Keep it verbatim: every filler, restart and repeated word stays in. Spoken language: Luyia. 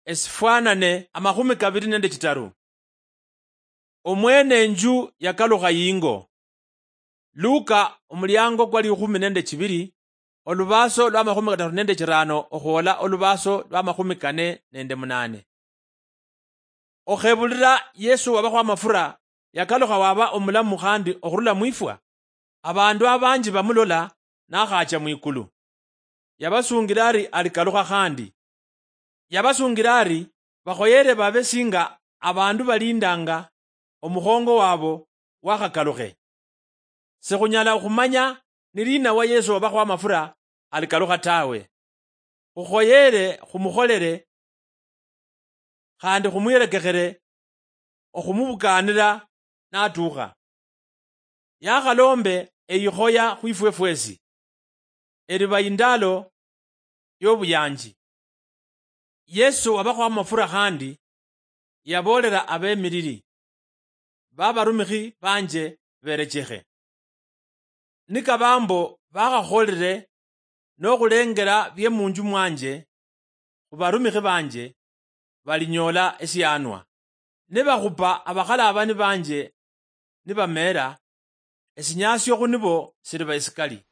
esifwanane amakhumi kabiri nende chitaru. Omwene enju yakalukha yingo. Luka, omuliango kwa likhumi nende chibiri, olubaso lwa makhumi kataru nende chirano okhwola olubaso lwa makhumi kane nende munane. Okhebulira Yesu wabakho amafura yakalukha waba omulamu khandi okhurula mwifwa, abandu abanji bamulola nakhacha mwikulu. Yabasungira ari alikalukha khandi. Yabasungira ari bakhoyere babe singa abandu balindanga omukhongo wabo wakhakalukhe. Sikhunyala okhumanya ni lina wa Yesu wabakho amafura alikalukha tawe. Khukhoyere khumukholere khandi khumwirekekhere okhumubukaanira natuukha. Yakhalombe eyikhoya khwifwe fwesi, eriba indalo yobuyanji. Yesu wabakho amafura khandi yaboolera abemiriri, babarumikhi banje berechekhe. Nikaba mbo bakhakholire nokhulengera bie munju mwanje khubarumikhi banje, balinyoola esianwa. Nibakhupa abakhalabani banje nibameera, esinyasio khunibo siliba esikali.